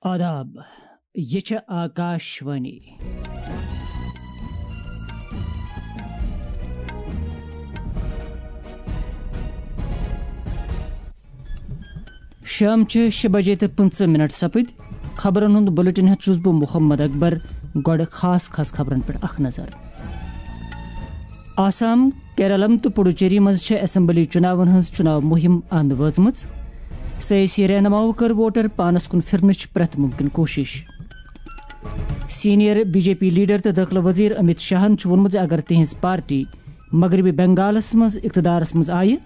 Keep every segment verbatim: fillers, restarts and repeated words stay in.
آداب، یہِ چھےٚ آکاش وانی۔ شام چھِ شےٚ بجے تہٕ پٕنٛژٕہ منٹ سپٕدۍ۔ خبرن ہُنٛد بُلٹن ہٮ۪تھ چھُس بہٕ محمد اکبر۔ گۄڈٕ خاص خاص خبرن پٮ۪ٹھ اکھ نظر۔ آسام، کیرلم تہٕ پڈوچیری منٛز چھےٚ اسمبلی چُناون ہٕنٛز چُناو مُہِم اند وٲژمٕژ۔ سیٲسی رہنماہو کٔر ووٹر پانس کُن پھرنٕچ پرٛٮ۪تھ مُمکِن کوٗشِش۔ Senior B J P leader تہٕ دٲخلہٕ وزیر امت شاہن چھُ ووٚنمُت زِ اگر تِہنٛز پارٹی مغربی بنگالس منٛز اقتدارس منٛز آیہِ،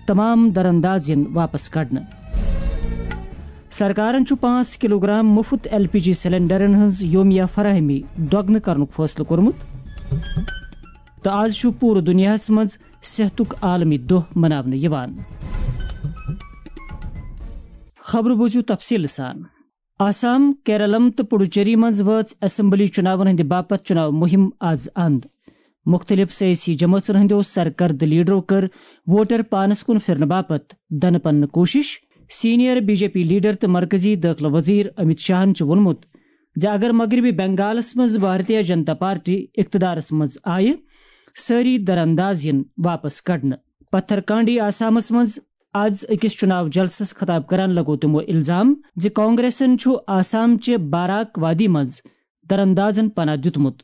تمام درانداز یِن واپس کڑنہٕ۔ سرکارن چھُ پانٛژھ کلوگرام مُفت ایل پی جی سلنڈرن ہٕنٛز یومیہ فراہمی دۄگنہٕ کرنُک فٲصلہٕ کوٚرمُت۔ تہٕ آز چھُ پوٗرٕ دُنیاہَس منٛز صحتُک عالمی دۄہ مناونہٕ یِوان۔ خبرٕ بوٗزِو تفصیٖل سان۔ آسام، کیرلم تہٕ پڈوچیری منٛز وٲژ اسمبلی چُناون ہٕنٛدِ باپتھ چُناو مُہِم آز اند۔ مُختٔلِف سیٲسی جمٲژن ہٕنٛدیو سرکردٕ لیڈرو کٔر ووٹر پانس کُن پھرنہٕ باپتھ دنہٕ پننہٕ کوٗشِش۔ Senior B J P leader تہٕ مرکزی دٲخلہٕ وزیر امت شاہن چھُ ووٚنمُت زِ اگر مغربی بنگالس منٛز بھارتیہ جنتا پارٹی اقتدارس منٛز آیہِ، سٲری درانداز یِن واپس کڑنہٕ۔ پتھر کانڈی آسامس منٛز از أکِس چُناو جلسس خطاب کران لگوو تِمو الزام زِ کانگریسن چھُ آسام چہِ باراک وادی منٛز دراندازن پناہ دیُتمُت۔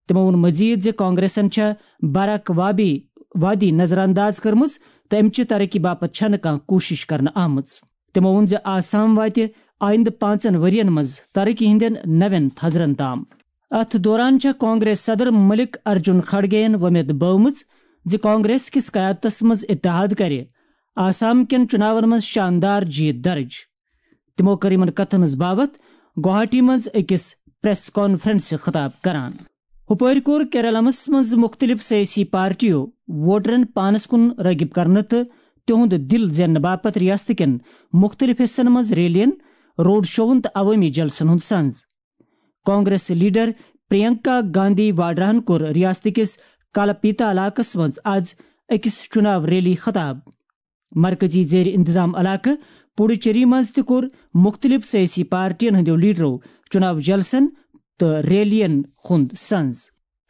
تِمو ووٚن مزید زِ کانگریسن چھےٚ باراک وابی وادی نظر انداز کٔرمٕژ تہٕ امہِ چہِ ترقی باپتھ چھنہٕ کانٛہہ کوٗشش کرنہٕ آمٕژ۔ تِمو ووٚن زِ آسام واتہِ آیندٕ پانٛژن ؤرین منٛز ترقی ہٕنٛدٮ۪ن نوٮ۪ن تھزرن تام۔ اتھ دوران چھےٚ کانگریس صدر ملک ارجن کھڑگے ین وۄمید بٲومٕژ زِ کانگریس کِس قیادتس منٛز اتحاد کرِ آسام کٮ۪ن چُناون منٛز شاندار جیت درج۔ تِمو کٔر یِمن کتھن ہٕنٛز باوتھ گوہاٹی منٛز أکِس پریس کانفرنسہِ خطاب کران۔ ہُپٲرۍ کوٚر کیرلمس منٛز مُختٔلِف سیٲسی پارٹیو ووٹرن پانس کُن رٲغب کرنہٕ تہٕ تِہُنٛد دِل زیننہٕ باپتھ ریاست کٮ۪ن مُختٔلِف حصن منٛز ریلین، روڈ شوون تہٕ عوٲمی جلسن ہُنٛد سنز۔ کانگریس لیڈر پرینکا گاندھی واڈراہن کوٚر ریاست کِس کلپیتا علاقس منٛز از أکِس چُناو ریلی خطاب۔ مرکزی زیر انتظام علاقہٕ پڈوچیری منٛز تہِ کوٚر مُختٔلِف سیٲسی پارٹین ہٕنٛدیو لیڈرو چُناو جلسن تہٕ ریلین ہُنٛد سنز۔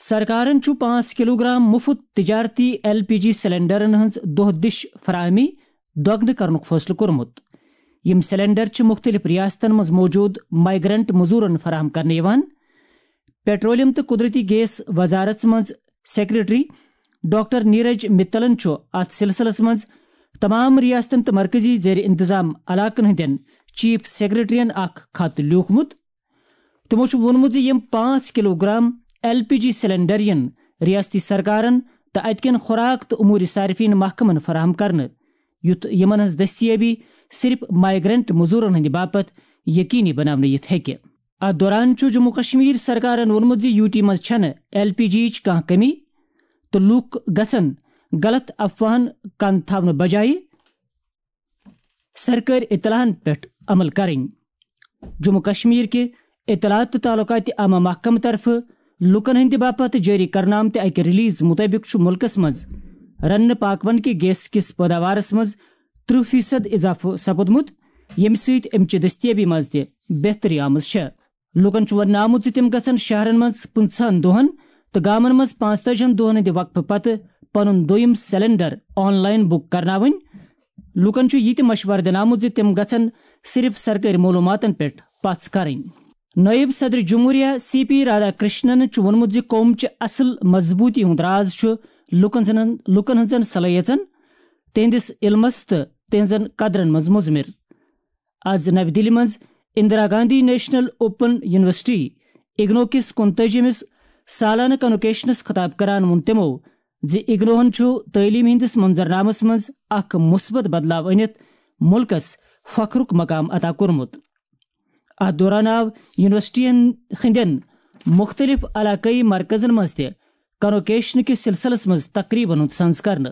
سرکارن چھُ پانٛژھ کلوگرام مُفت تجارتی ایل پی جی سلنڈرن ہٕنٛز دۄہ دِش فراہمی دۄگنہٕ کرنُک فٲصلہٕ کوٚرمُت۔ یِم سلنڈر چھِ مُختٔلِف ریاستن منٛز موجود مائیگرنٹ مزورن فراہم کرنہٕ یِوان۔ پیٹرولیم تہٕ قدرتی گیس وزارت منٛز سیکرٹری ڈاکٹر نیرج متلن چھُ اتھ سلسلس منٛز تمام ریاستن تہٕ مرکزی زیر انتظام علاقن ہٕنٛدٮ۪ن چیف سیکرٹرین اکھ خط لیوٗکھمُت۔ تِمو چھُ ووٚنمُت زِ یِم پانٛژھ kilogram L P G cylinder یِن ریاستی سرکارن تہٕ اتہِ کٮ۪ن خوراک تہٕ امور صارفین محکمن فراہم کرنہٕ، یُتھ یِمن ہٕنٛز دٔستیٲبی صرف مائیگرنٹ مزورن ہٕنٛدِ باپتھ یقینی بناونہٕ یِتھ ہیٚکہِ۔ اتھ دوران چھُ جموں کشمیر سرکارن ووٚنمُت زِ یو ٹی منٛز چھَنہٕ ایل پی جی یِچ کانٛہہ کمی تہٕ لوٗکھ گژھن غلط افواہن کن تھاونہٕ بجایہِ سرکٲرۍ اطلاعن پٮ۪ٹھ عمل کرٕنۍ۔ جموں کشمیر کہِ اطلاعات تہٕ تعلقات عامہ محکمہٕ طرفہٕ لوٗکن ہٕنٛدِ باپتھ جٲری کرنہٕ آمتہِ اکہِ ریلیز مُطٲبِق چھُ مُلکس منٛز رننہٕ پاکوان کہِ گیس کِس پٲداوارس منٛز ترٕٛہ فیصد اضافہٕ سپُدمُت، ییٚمہِ سۭتۍ امہِ چہِ دٔستیٲبی منٛز تہِ بہتری آمٕژ چھےٚ۔ لوٗکن چھُ وننہٕ آمُت زِ تِم گژھن شہرن منٛز پٕنٛژٕہن دۄہن تہٕ گامن منٛز پانٛژتٲجِہن دۄہن ہٕنٛدِ وقفہٕ پتہٕ پنُن دوٚیِم سلنڈر آن لائن بُک کرناوٕنۍ۔ لوٗکن چھُ یہِ تہِ مشورٕ دِنہٕ آمُت زِ تِم گژھن صرف سرکٲرۍ معلوٗماتن پٮ۪ٹھ پژھ کرٕنۍ۔ نٲیِب صدر جمہوریہ سی پی رادھا کرشنن چھُ ووٚنمُت زِ قوم چہِ اصل مضبوٗطی ہُنٛد راز چھُ لوٗکن ہٕنٛزن، لوٗکن ہٕنٛزن صلٲحیژن، تِہنٛدِس علمس تہٕ تِہنٛزن قدرن منٛز مُضمر۔ از نَوِ دِلہِ منٛز Indira Gandhi national open university, IGNOU کِس کُنتٲجِمِس سالانہٕ کنوکیشنس خطاب کران ووٚن تِمو زِ اگنوہن چھُ تعلیٖم ہٕنٛدِس منظرنامس منٛز اکھ مثبت بدلاو أنِتھ مُلکس فخرُک مقام عطا کوٚرمُت۔ اتھ دوران آو یونیورسٹی ہٕنٛدٮ۪ن مُختٔلِف علاقٲیی مرکزن منٛز تہِ کنوکیشن کِس سلسلس منٛز تقریبن ہُنٛد سنز کرنہٕ۔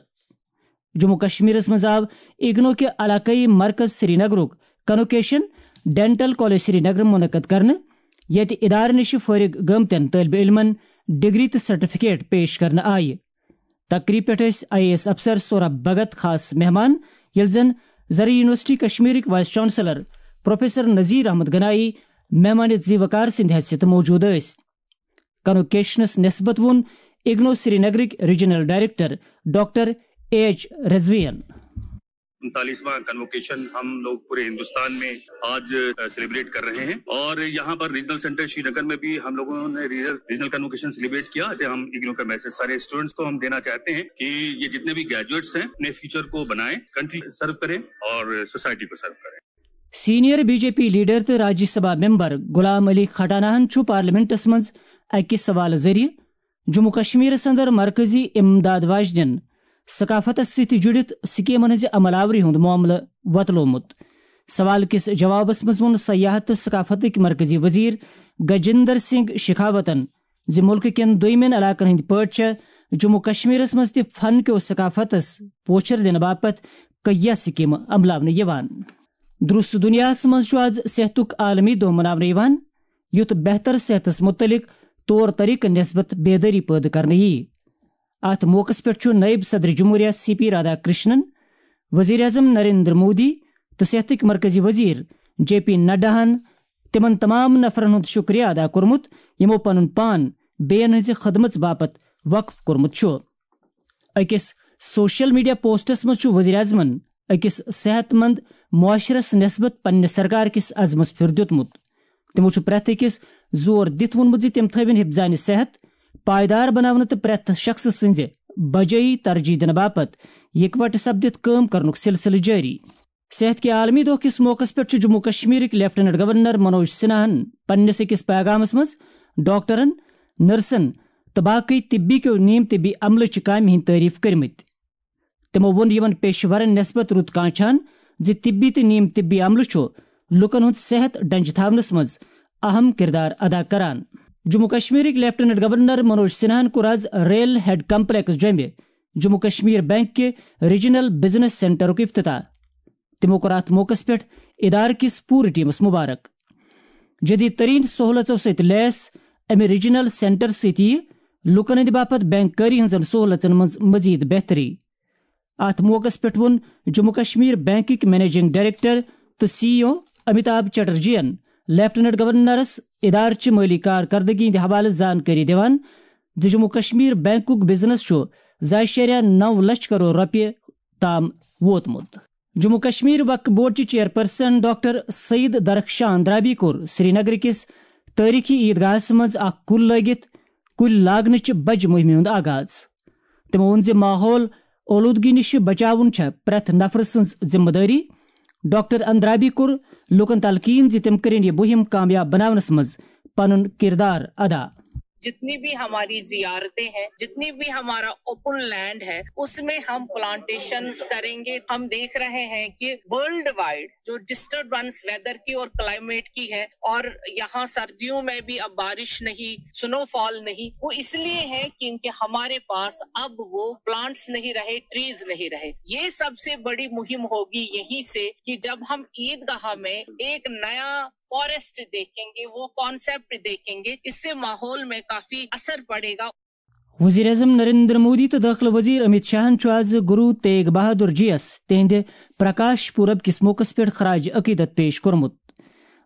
جموں کشمیرس منٛز آو اگنو کہِ علاقٲیی مرکز سری نگرُک کنوکیشن ڈینٹل کالج سری نگر منعقد کرنہٕ، ییٚتہِ ادارٕ نِش فٲرغ گٔمتٮ۪ن طٲلبہِ علمن ڈگری تہٕ سرٹیفکیٹ پیش کرنہٕ آیہِ۔ تقریب پٮ۪ٹھ ٲسۍ آئی اے ایس افسر سوربھ بھگت خاص مہمان، ییٚلہِ زن زرعی یونیورسٹی کشمیرٕکۍ vice chancellor professor Nazir Ahmad Ganie, مہمان زیوکار سٕنٛدِ حیثیت موجود ٲسۍ۔ کنوکیشنس نسبت ووٚن اگنو سرینگرٕکۍ regional director doctor A H رضویَن۔ انتالیسواں کنووکیشن ہم لوگ پورے ہندوستان میں آج سیلیبریٹ کر رہے ہیں، اور یہاں پر ریجنل سینٹر شری نگر میں بھی ہم لوگوں نے ریجنل کنووکیشن سیلیبریٹ کیا۔ ہم اگنو کا میسج سارے اسٹوڈنٹس کو ہم دینا چاہتے ہیں کہ یہ جتنے بھی گریجویٹس ہیں، اپنے فیوچر کو بنائیں، کنٹری سرو کریں اور سوسائٹی کو سرو کریں۔ Senior B J P leader تہٕ راجیہ سبھا ممبر غلام علی کھٹانہ ہن چھُ پارلیمنٹس منٛز اکہِ سوالہٕ ذٔریعہٕ جموں کشمیرس اندر مرکزی امداد واجنٮ۪ن ثقافتس سۭتۍ جُڑِتھ سکیمن ہٕنٛزِ عمل آوری ہُنٛد معاملہٕ وۄتلومُت۔ سوال کِس جوابس منٛز ووٚن سیاحت تہٕ ثقافتٕکۍ مرکزی وزیر گجندر سنگھ شیخاوتن زِ مُلکہٕ کٮ۪ن دوٚیمٮ۪ن علاقن ہٕنٛدۍ پٲٹھۍ چھےٚ جموں کشمیرس منٛز تہِ فن کیو ثقافتس پوچھر دِنہٕ باپتھ کیٚنٛہہ سکیمہٕ عملاونہٕ یِوان۔ درست دنیاہس منٛز چھُ آز صحتُک عالمی دۄہ مناونہٕ یِوان، یُتھ بہتر صحتس مُتعلق طور طریقہٕ نسبت بیدٲری پٲدٕ کرنہٕ یِیہِ۔ اتھ موقعس پٮ۪ٹھ چھُ نٲیِب صدر جمہوریہ سی پی رادھا کرشنن، وزیر اعظم نریندر مودی تہٕ صحتٕکۍ مرکزی وزیر جے پی نڈاہن تِمن تمام نفرن ہُنٛد شُکریہ ادا کوٚرمُت، یِمو پنُن پان بیٚین ہٕنٛزِ خدمژ باپتھ وقف کوٚرمُت چھُ۔ أکِس سوشل میڈیا پوسٹس منٛز چھُ وزیر اعظمن أکِس صحت مند معاشرس نسبت پننہِ سرکار کِس عزمس پھِر دیُتمُت۔ تِمو چھُ پرٛٮ۪تھ أکِس زور دِتھ ووٚنمُت زِ تِم تھٲوِن حفظانِ صحت پائیدار بناونہٕ تہٕ پرٛٮ۪تھ شخصہٕ سٕنٛزِ بجٲیی ترجیح دِنہٕ باپتھ یکوٹہٕ سپدِتھ کٲم کرنُک سلسلہٕ جٲری۔ صحت کہِ عالمی دۄہ کِس موقعس پٮ۪ٹھ چھُ جموں کشمیرٕکۍ لیفٹیننٹ گورنر منوج سنہاہن پننِس أکِس پیغامس منٛز ڈاکٹرن، نرسن تہٕ باقٕے طبی کیو نیم طبی عملہٕ چہِ کامہِ ہٕنٛدۍ تعریف کٔرمٕتۍ۔ تِمو ووٚن یِمن پیشہٕ ورن نسبت رُت کانٛہہ چھان زِ طبی تہٕ نیم طبی عملہٕ چھُ لوٗکن ہُنٛد صحت ڈنجہِ تھاونس منٛز اہم کردار ادا کران۔ جموں کشمیرٕکۍ لیفٹیننٹ گورنر منوج سنہاہن کوٚر آز ریل ہیڈ کمپلیکس جوٚمہِ جموں کشمیر بینک کہِ ریجنل بزنس سینٹرُک افتتاح۔ تِمو کوٚر اتھ موقعس پٮ۪ٹھ ادارٕ کِس پوٗرٕ ٹیمس مبارک۔ جدید ترین سہولژو سۭتۍ لیس امہِ ریجنل سینٹر سۭتۍ یِیہِ لوٗکن ہٕنٛدِ باپتھ بینک کٲری ہٕنٛزن سہولژن منٛز مزید بہتری۔ اتھ موقعس پٮ۪ٹھ ووٚن جموں کشمیر بینکٕکۍ منیجنگ ڈائریکٹر تہٕ سی ای او امیتابھ چٹرجی ین لیفٹیننٹ گورنرس ادارٕ چہِ مٲلی کارکردگی ہٕنٛدِ حوالہٕ زانکٲری دِوان زِ جموں کشمیر بینکُک بزنس چھُ زٕ اعشاریہ نو لچھ کرور رۄپیہِ تام ووتمُت۔ جموں کشمیر وقف بورڈ چہِ چیئرپرسن ڈاکٹر سعید درخشان درابی کوٚر سری نگر کِس تٲریخی عیدگاہس منٛز اکھ کُل لٲگِتھ کُلۍ لاگنٕچہِ بجہِ مُہمہِ ہُنٛد آغاز۔ تِمو ووٚن زِ ماحول اولودگی نِش بچاوُن چھےٚ پرٛٮ۪تھ نفرٕ سٕنٛز ذمہٕ دٲری۔ ڈاکٹر اندرابی کوٚر لوٗکن تلقین زِ تِم کٔرِن یہِ مُہِم کامیاب بناونس منٛز پنُن کردار ادا۔ जितनी भी हमारी जियारतें हैं, जितनी भी हमारा ओपन लैंड है, उसमें हम प्लांटेशंस करेंगे। हम देख रहे हैं कि वर्ल्ड वाइड जो डिस्टरबेंस वेदर की और क्लाइमेट की है, और यहाँ सर्दियों में भी अब बारिश नहीं, स्नोफॉल नहीं, वो इसलिए है क्योंकि हमारे पास अब वो प्लांट्स नहीं रहे, ट्रीज नहीं रहे। ये सबसे बड़ी मुहिम होगी यहीं से कि जब हम ईदगाह में एक नया फॉरेस्ट देखेंगे, वो कॉन्सेप्ट देखेंगे, इससे माहौल में काफी असर पड़ेगा। وزیر اعظم نریندر مودی تہٕ دٲخلہٕ وزیر امیت شاہن چھُ آز گرو تیگ بہادر جی یس تِہنٛدِ پرکاش پورب کِس موقعس پٮ۪ٹھ خراج عقیدت پیش کوٚرمُت۔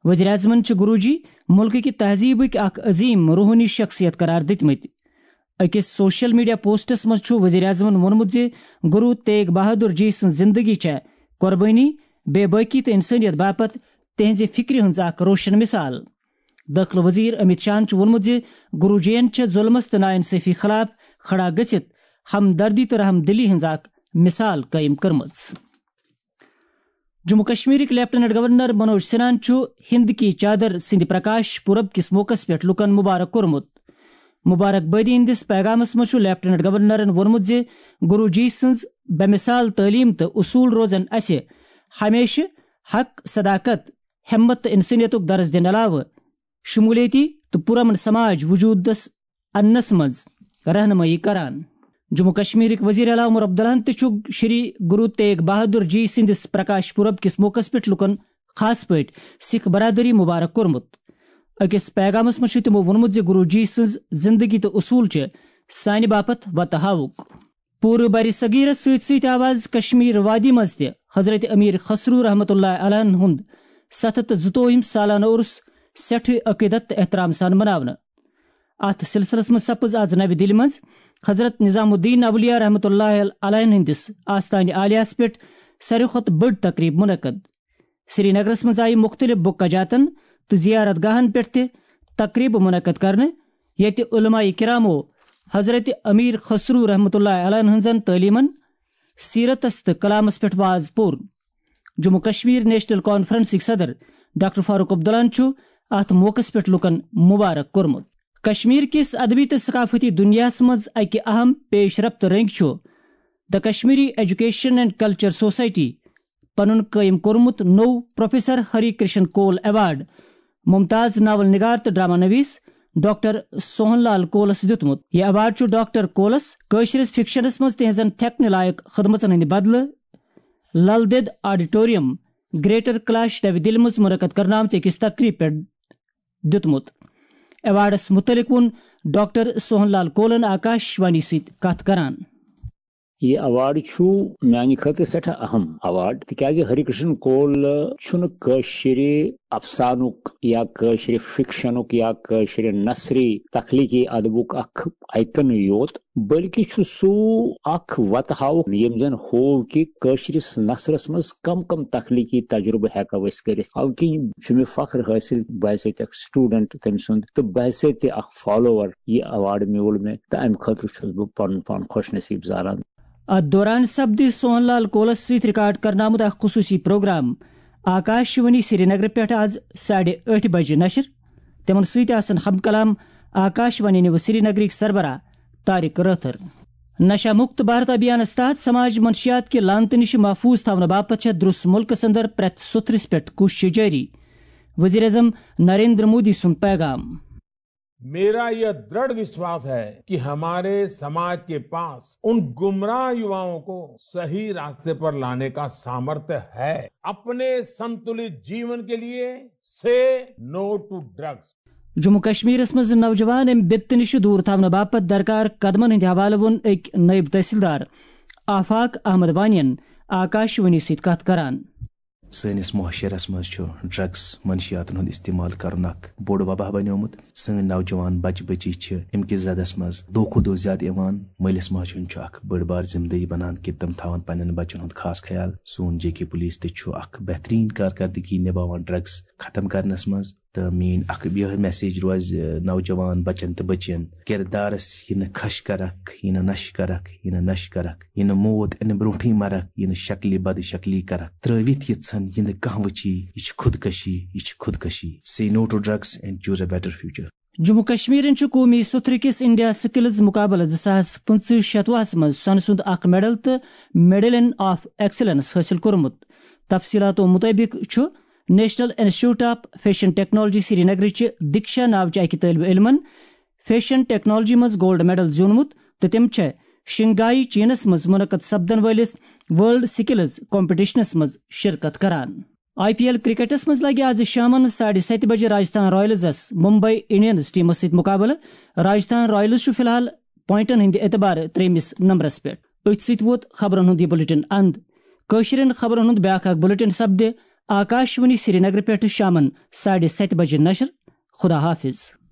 وزیر اعظمن چھِ گرو جی مُلکٕکہِ تہذیٖبٕکۍ اکھ عظیم روحٲنی شخصیت قرار دِتمٕتۍ۔ أکِس سوشل میڈیا پوسٹس منٛز چھُ وزیر اعظمن ووٚنمُت زِ گرو تیگ بہادر جی سٕنٛز زندگی چھےٚ قربٲنی، بے بٲکی تہٕ انسٲنیت باپتھ تِہنٛزِ فکرِ ہٕنٛز اکھ روشن مثال۔ دٲخلہٕ وزیر امیت شاہن چھُ ووٚنمُت زِ گرو جی ین چھےٚ ظلمس تہٕ ناانصٲفی خلاف کھڑا گٔژھِتھ ہمدردی تہٕ رحم دلی ہٕنٛز اکھ مثال قٲیِم کٔرمٕژ۔ جموں کشمیرٕکۍ لیفٹیننٹ گورنر منوج سنہاہن چھُ ہند کی چادر سٕنٛدِ پرکاش پورب کِس موقعس پٮ۪ٹھ لوٗکن مبارک کوٚرمُت۔ مبارک بٲدی ہٕنٛدِس پیغامس منٛز چھُ لیفٹیننٹ گورنرن ووٚنمُت زِ گرو جی سٕنٛز بے مثال تعلیٖم تہٕ اصوٗل روزن اسہِ ہمیشہٕ حق، صداقت، ہمت تہٕ انسٲنیتُک درس دِنہٕ علاوٕ شمولیتی تہٕ پرامن سماج وجودس اننس منٛز رہنمٲیی کران۔ جموں کشمیرٕکۍ وزیر اعلیٰ عمر عبداللہن تہِ چھُ شری گرو تیگ بہادر جی سٕنٛدِس پرکاش پورب کِس موقعس پٮ۪ٹھ لوٗکن، خاص پٲٹھۍ سکھ برادری، مبارک کوٚرمُت۔ أکِس پیغامس منٛز چھُ تِمو ووٚنمُت زِ گرو جی سٕنٛز زندگی تہٕ اصوٗل چھِ سانہِ باپتھ وتہٕ ہاوُک۔ پوٗرٕ برِ صغیرس سۭتۍ سۭتۍ آو آز کشمیر وادی منٛز تہِ حضرت امیر خسرو رحمتہ اللہ علیہ ہُنٛد ستھ ہتھ تہٕ زٕتووُہِم سالانہٕ عرس سٮ۪ٹھٕے عقیدت تہٕ احترام سان مناونہٕ۔ اتھ سلسلس منٛز سپٕز از نوِ دِلہِ منٛز حضرت نظام الدین اولیاء رحمتہ اللہ علیہ ہٕنٛدِس آستانہِ عالیہس پٮ۪ٹھ ساروی کھۄتہٕ بٔڑ تقریب منعقد۔ سری نگرس منٛز آیہِ مُختٔلِف بُکہ جاتن تہٕ زیارت گاہن پٮ۪ٹھ تہِ تقریبہٕ منعقد کرنہٕ، ییٚتہِ علماء کرامو حضرت امیر خسرو رحمتہ اللہ علیہ ہٕنٛزن تعلیمن، سیرتس تہٕ کلامس پٮ۪ٹھ واز پوٚر۔ جموں کشمیر نیشنل کانفرنسٕکۍ صدر ڈاکٹر فاروق عبداللہن چھُ اتھ موقعس پٮ۪ٹھ لوٗکن مبارک کوٚرمُت۔ کشمیر کِس ادبی تہٕ ثقافتی دُنیاہس منٛز اکہِ اہم پیش رفت رٔنگۍ چھُ The Kashmiri Education and Culture Society پنُن قٲیِم کوٚرمُت نوٚو پروفیسر ہری کرشن کول ایوارڈ ممتاز ناول نگار تہٕ ڈرامہ نویس ڈاکٹر سوہن لال کولس دیُتمُت۔ یہِ ایوارڈ چھُ ڈاکٹر کولس کٲشرِس فکشنس منٛز تِہنٛزن تھٮ۪کنہٕ لایق خدمژن ہٕنٛدِ بدلہٕ لل دٮ۪د آڈیٹوریم، گریٹر کلاش، نَوِ دِلہِ منٛز منعقد کرنہٕ آمژِ أکِس تقریٖب پٮ۪ٹھ دیُتمُت۔ ایوارڈس مُتعلق ووٚن ڈاکٹر سوہن لال کولن آکاش وانی سۭتۍ کتھ کران۔ یہِ ایوارڈ چھُ میانہِ خٲطرٕ سٮ۪ٹھاہ اہم ایوارڈ، تِکیازِ ہری کرشن کول چھُنہٕ کٲشرِ افسانُک یا کٲشرِ فکشنُک یا کٲشرِ نثری تخلیقی ادبُک اکھ آیکن یوت، بلکہِ چھُ سُہ اکھ وتہٕ ہاوُک، ییٚمۍ زن ہوو کہِ کٲشرِس نثرس منٛز کم کم تخلیقی تجربہٕ ہٮ۪کو أسۍ کٔرِتھ۔ اَوٕ کِنۍ چھُ مےٚ فخر حٲصِل، بہٕ ہسا تہِ اکھ سٹوڈنٹ تٔمۍ سُنٛد تہٕ بہٕ ہسا تہِ اکھ فالوور۔ یہِ ایوارڈ میوٗل مےٚ تہٕ امہِ خٲطرٕ چھُس بہٕ پنُن پان خۄش نصیب زانان۔ اتھ دوران سپدِ سوہن لال کولس سۭتۍ ریکارڈ کرنہٕ آمُت اکھ خصوٗصی پروگرام آکاش وانی سرینگر پٮ۪ٹھ از ساڑِ ٲٹھِ بجہِ نشر۔ تِمن سۭتۍ آسن ہم کلام آکاش وانی نیوز سرینگرٕکۍ سربراہ طارق رٲتھر۔ نشہ مکت بھارت ابھیانس تحت سماج منشیات کہِ لعنتہٕ نِش محفوظ تھاونہٕ باپتھ چھےٚ درُس مُلکس اندر پرٛٮ۪تھ سُتھرِس پٮ۪ٹھ کوٗششہٕ جٲری۔ وزیر اعظم نریندر مودی سُنٛد پیغام۔ मेरा यह दृढ़ विश्वास है कि हमारे समाज के पास उन गुमराह युवाओं को सही रास्ते पर लाने का सामर्थ्य है। अपने संतुलित जीवन के लिए से नो टू ड्रग्स। جموں کشمیرس منٛز نوجوان امہِ بِپتہٕ نِش دوٗر تھاونہٕ باپتھ درکار قدمن ہٕنٛدِ حوالہٕ ووٚن أکۍ نٲیِب تحصیلدار آفاق احمد وانین آکاش وانی سۭتۍ کتھ کران۔ سٲنِس معاشرس منٛز چھُ ڈرگس منشیاتن ہُنٛد استعمال کرُن اکھ بوٚڑ وبا بنیومُت۔ سٲنۍ نوجوان بچہِ بچی چھِ امہِ کِس زدس منٛز دۄہ کھۄتہٕ دۄہ زیادٕ یِوان۔ مٲلِس ماجہِ ہُنٛد چھُ اکھ بٔڑ بار ذمہٕ دٲری بنان کہِ تِم تھاون پننٮ۪ن بچن ہُنٛد خاص خیال۔ سون جے کے پولیس تہِ چھُ اکھ بہترین کارکردگی نباوان ڈرگس ختم کرنس منٛز۔ تہٕ میٲنۍ اکھ یِہے میسیج روزِ نوجوان بچن تہٕ بچین، کردارس یہِ نہٕ خش کرکھ، یہِ نہٕ نشہِ کرکھ، یہِ نہٕ نشہِ کرکھ، یہِ نہٕ موت انہٕ برونٹھٕے مرکھ، یہِ نہٕ شکلہِ بد شکلی کرکھ، ترٲوِتھ یہِ ژھن، یہِ نہٕ کانٛہہ وٕچھی، یہِ چھِ خودکشی، یہِ چھِ خودکشی۔ Say no to drugs and choose a better future. Jammu کشمیرن چھُ قومی سُتھرٕ کِس انڈیا سکلز مقابلہٕ زٕ ساس پٕنٛژٕہ شتوُہس منٛز سۄنہٕ سُنٛد اکھ میڈل تہٕ میڈلین آف ایکسلنس حٲصِل کوٚرمُت۔ تفصیلاتو مُطٲبِق چھُ national institute of fashion technology سرینگرٕچہِ دِکشا ناوچہِ اَکہِ طٲلبہِ علمن فیشن ٹیکنالوجی منٛز گولڈ میڈل زیوٗنمُت تہٕ تِم چھےٚ شنگائی چینس منٛز منعقد سپدن وٲلِس ورلڈ سکلز کمپٹیشنس منٛز شرکت کران۔ آئی پی ایل کرکٹس منٛز لگہِ آز شامن ساڑِ ستہِ بجہِ راجستھان رائلزس ممبئی انڈینز ٹیمس سۭتۍ مقابلہٕ۔ راجستھان رائلز چھُ فی الحال پوائنٹن ہٕنٛدِ اعتبارٕ ترٛیٚیمِس نمبرس پٮ۪ٹھ۔ أتھۍ سۭتۍ ووت خبرن ہُنٛد یہِ بلیٹن اند۔ کٲشرٮ۪ن خبرن ہُنٛد بیٛاکھ اکھ بلیٹن سپدِ آکاش وانی سرینگرٕ پٮ۪ٹھٕ شامن ساڑِ ستہِ بجہِ نشر۔ خدا حافظ۔